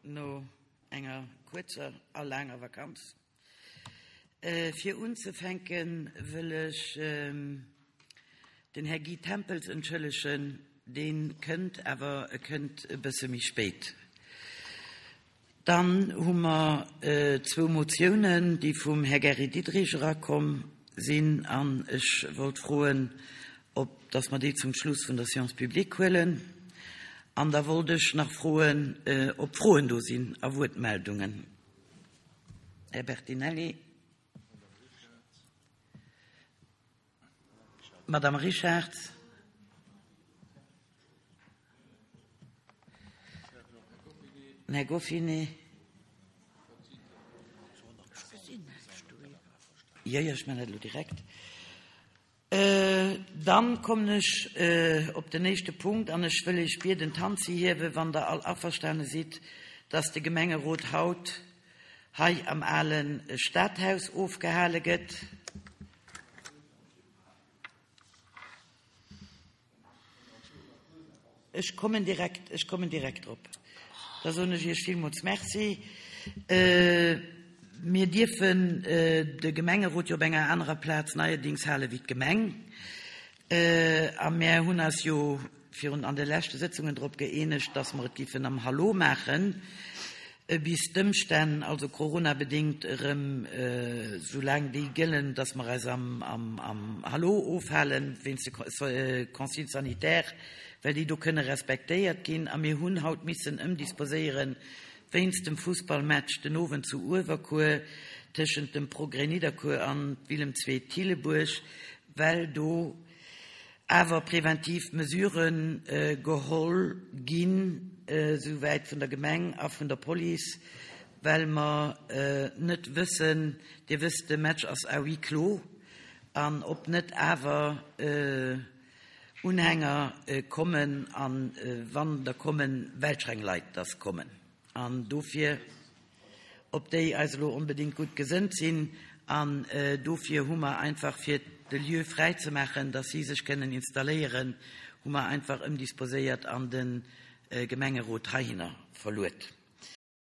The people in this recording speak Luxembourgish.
No enger kuerzer a laanger Vakanz. Fir unzefänke wëll ech den Här Guy Tempels entschëllegen, dee kënnt, awer e kënnt e bësse méi spéit. Dann hu mer zwou Motiounen, déi vum Här Gary Diderich erakomm sinn, an ech wollt froen, ob dass mer déi zum Schluss vun der Séance publique huelen. An da wollt ech nach froen, ob Froen do sinn a Wuertmeldungen. Här Bertinelli. Madame Richarz. Här Goffinet. Jo, jo, ech maachen dat elo direkt. Dann kommen ech op den éischte Punkt an ech wëll Iech bieden, d'Hand ze hiewen, wann Der all averstane sidd, dass de Gemengerot haut hei am ale Stadhaus ofgehale gëtt. Ech kommen direkt, ech kommen direkt drop. Da soen ech Iech villmools Merci. Mir dierfen de Gemengerot jo op enger anerer Plaz neierdings hale wéi d'Gemeng. A mär hunn eis jo virun an de leschte Sëtzungen drop gëeenegt, dass mer et giffen am Hallo maachen, bis d'Ëmstänn, also coronabedéngt, erëm soulaang déi gëllen, dass mer eis am Hallo ofhalen, wéinst de Consignes sanitaires, well déi do kënne respektéiert ginn. A mir hunn haut missen ëmdisposéieren, wéinst dem Fussballmatch den Owend zu Uewerkuer tëschent dem Progrès Nidderkuer an Willem II Thillebuerg, well do awer preventiv Mesurë geholl ginn, souwäit vun der Gemeng a vun der Police, well mer net wëssen, Dir wësst, de Match ass à huis clos, an ob net awer Unhänger kommen, a wann der kommen, welch eng Leit dass kommen. An dofir, ob déi eis elo onbedéngt gutt gesënnt sinn, an dofir hu mer einfach, fir de Lieu fräi ze maachen, dass si sech kënnen installéieren, hu mer einfach ëmdisposéiert an de Gemengerot heihinner verluet.